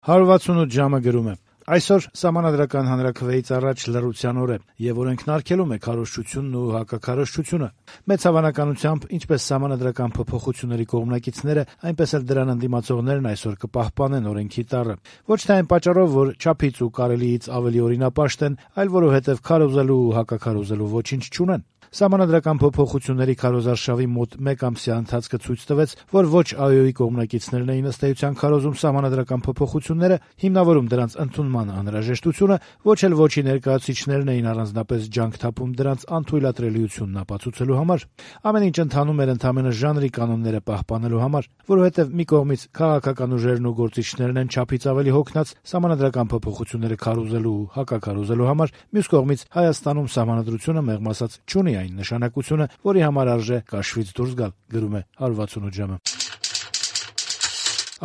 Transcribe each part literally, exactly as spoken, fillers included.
հարյուր վաթսունութ ժամը գրում է. Այսօր Սահմանադրական հանրաքվեից առաջ լռության օր է, եւ օրենքն արգելում է քարոզչությունն ու հակաքարոզչությունը։ Մեծ հավանականությամբ, ինչպես սահմանադրական փոփոխությունների կողմնակիցները, այնպես էլ դրան ընդդիմացողներն այսօր կպահպանեն օրենքի տառը։ Ոչ թե այն պատճառով, որ չափից ու կարելիից ավելի օրինապաշտ են, այլ որովհետեւ քարոզելու ու հակաքարոզելու ոչինչ չունեն։ Սահմանադրական փոփոխությունների քարոզարշավի մոտ մեկ ամսյա ընթացքը ցույց տվեց, որ ոչ ԱՅՈ-ի կողմնակիցներն էին ըստ էության քարոզում սահմանադրական փոփոխությունները, հիմնավորում դրանց ընդունման անհրաժեշտությունը, ոչ էլ ոչի ներկայացուցիչներն էին առանձնապես ջանք թափում դրանց անթույլատրելիությունն ապացուցելու համար։ Ամեն ինչ ընթանում էր ընդամենը ժանրի կանոնները պահպանելու համար, որովհետև մի կողմից քաղաքական ուժերն ու գործիչներն են չափից ավելի հոգնած սահմանադրական փոփոխությունները քարոզելու ու հակաքարոզելու համար, մյուս կողմից Հայաստանում սահմանադրությունը մեղմ ասած չունի այն նշանակությունը, որի համար արժե կաշվից դուրս գալ, գրում է հարյուր վաթսունութ ժամը։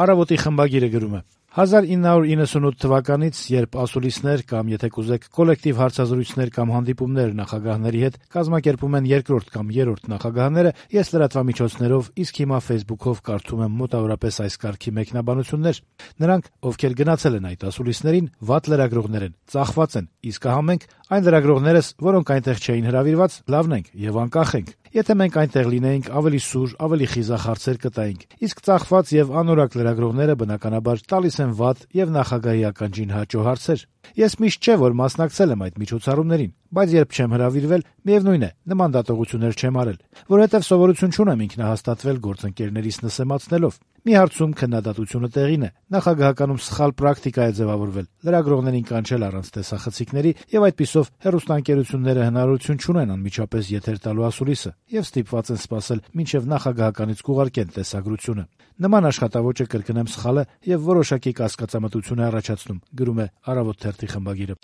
Առավոտի խմբագիրը գրում է. հազար ինը հարյուր իննսունութ թվականից, երբ ասուլիսներ կամ, եթե կուզեք, կոլեկտիվ հարցազրույցներ կամ հանդիպումներ նախագահների հետ կազմակերպում են երկրորդ կամ երրորդ նախագահները, ես լրատվամիջոցներով, իսկ հիմա Facebook-ով կարդում եմ մոտավորապես այս կարգի մեկնաբանություններ։ Նրանք, ովքեր գնացել են այդ ասուլիսներին, վատ լրագրողներ են, ծախված են, իսկ ահա մենք, այն լրագրողներս, որոնք այնտեղ չէին հրավիրված, լավն ենք եւ անկախ ենք։ Եթե մենք այնտեղ լինեինք, ավելի սուր, ավելի խիզախ հարցեր կտայինք, իսկ ծախված եւ անորակ լրագրողները բնականաբար տալիս են վատ եւ նախագահի ականջին հաճո հարցեր։ Ես միշտ չէ, որ մասնակցել եմ այդ միջոցառումներին, բայց երբ չեմ հրավիրվել, միևնույն է, նման դատողություններ չեմ արել, որովհետեւ սովորություն չունեմ ինքնահաստատվել գործընկերներիս նսեմացնելով։ Մի հարցում քննադատությունը տեղին է, նախագահականում սխալ պրակտիկա է ձևավորվել, լրագրողներին կանչել առանց տեսախցիկների եւ այդպիսով հեռուստաընկերությունները հնարավորություն չունեն անմիջապես եթեր տալու ասուլիսը եւ ստիպված են սպասել մինչեւ նախագահականից կուղարկեն տեսագրությունը։ Նման աշխատավոճը կրկնեմ սխալ է եւ որոշակի կասկածամտություն է առաջացնում, գրում է Առավոտ թերթի խմբագիրը։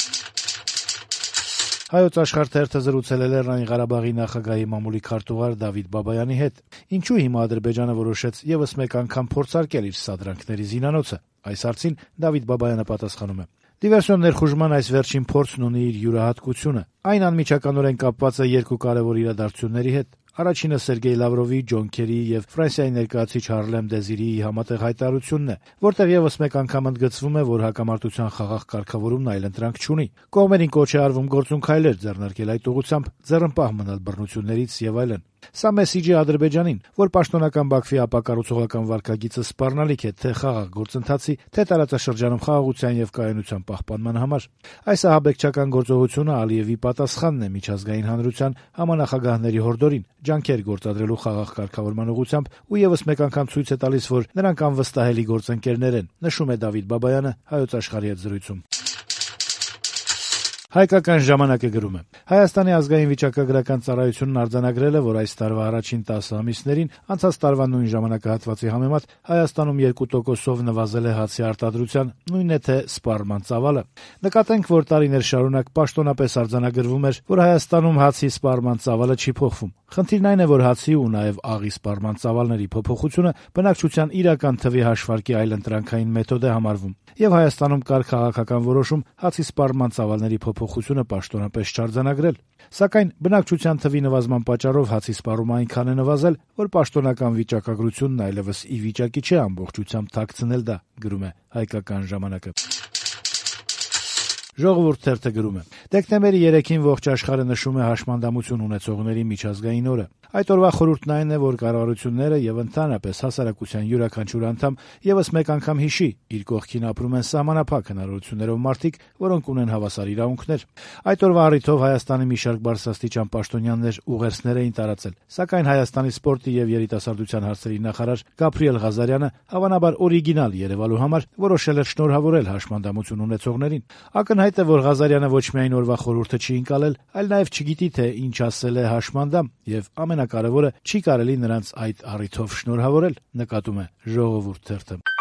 Հայոց Աշխարհ թերթը զրուցել է Լեռնային Ղարաբաղի նախագահի մամուլի քարտուղար Դավիթ Բաբայանի հետ։ Ինչու հիմա Ադրբեջանը որոշեց եւս մեկ անգամ փորձարկել իր սադրանքների զինանոցը։ Այս հարցին Դավիթ Բաբայանը պատասխանում է. Դիվերսիոն ներխուժման այս վերջին փորձն ունի իր յուրահատկությունը։ Այն անմիջականորեն կապված է երկու կարևոր իրադարձությունների հետ։ Առաջինը Սերգեյ Լավրովի, Ջոն Քերիի եւ Ֆրանսիայի ներկայացուցիչ Հարլեմ Դեզիրիի համատեղ հայտարարությունն է, որտեղ եւս մեկ անգամ ընդգծվում է, որ հակամարտության խաղաղ կարգավորումն այլընտրանք չունի։ Կողմերին կոչ է արվում գործուն քայլեր ձեռնարկել այդ ուղղությամբ, ձեռնպահ մնալ բռնություններից եւ այլն։ Սա մեսիջի Ադրբեջանին, որ պաշտոնական Բաքվի ապակառուցողական վարքագիծը սպառնալիք է թե խաղաղ գործընթացի, թե տարածաշրջանում խաղաղության եւ կայունության պահպանման համար։ Այս ահաբեկչական գործողությունը Ալիևի պատասխանն է միջազգային հանրության համանախագահների հորդորին, ջանքեր գործադրելու խաղաղ կարգավորման ուղղությամբ ու եւս մեկ անգամ ցույց է տալիս, որ նրանք անվստահելի գործընկերներ են, նշում է Դավիթ Բաբայանը Հայոց Աշխարհի հետ զրույցում։ Հայկական ժամանակը գրում է. Հայաստանի ազգային վիճակագրական ծառայությունն արձանագրել է, որ այս տարվա առաջին տասը ամիսներին անցած տարվա նույն ժամանակահատվածի համեմատ Հայաստանում երկու տոկոսով նվազել է հացի արտադրության, նույնն է թե սպառման ծավալը։ Նկատենք, որ տարիներ շարունակ պաշտոնապես արձանագրվում էր, որ Հայաստանում հացի սպառման ծավալը չի փոխվում։ Խնդիրն այն է, որ հացի ու նաև աղի սպառման ծավալների փոփոխությունը բնակչության իրական թվի հաշվարկի այլընտրանքային մեթոդ է համարվում, եւ Հայաստանում կար քաղաքական որոշում հացի սպառման ծավալների փոփոխությունը պաշտոնապես չարձանագրել։ Սակայն բնակչության թվի նվազման պատճառով հացի սպառումը այնքան է նվազել, որ պաշտոնական վիճակագրությունն այլևս ի վիճակի չէ ամբողջությամբ թաքցնել դա, գրում է Հայկական ժամանակը։ Ժողովուրդ թերթը գրում է. Դեկտեմբերի երեքին ողջ աշխարհը նշում է հաշմանդամություն ունեցողների միջազգային օրը։ Այդ օրվա խորհուրդն այն է, որ կառավարությունները եւ ընդհանրապես հասարակության յուրաքանչյուր անդամ եւս մեկ անգամ հիշի, իր կողքին ապրում են սահմանափակ հնարավորություններով մարդիկ, որոնք ունեն հավասար իրավունքներ։ Այդ օրվա առիթով Հայաստանի մի շարք բարձրաստիճան պաշտոնյաներ ուղերձներ էին տարածել, սակայն Հայաստանի սպորտի եւ երիտասարդության հարցերի նախարար Գաբրիել Ղազարյանը հավանաբար օրիգինալ Երևալու համար որոշել էր շնորհավորել հաշմանդամություն ունեցողներին։ Ակնհայտ է, որ Ղազարյանը ոչ միայն օրվա խորհուրդը չի ընկալել, այլ նաեւ չգիտի, թե ինչ ասել է հաշմանդամ եւ ամենակարևորը չի կարելի նրանց այդ առիթով շնորհավորել, նկատում է Ժողովուրդ թերթը։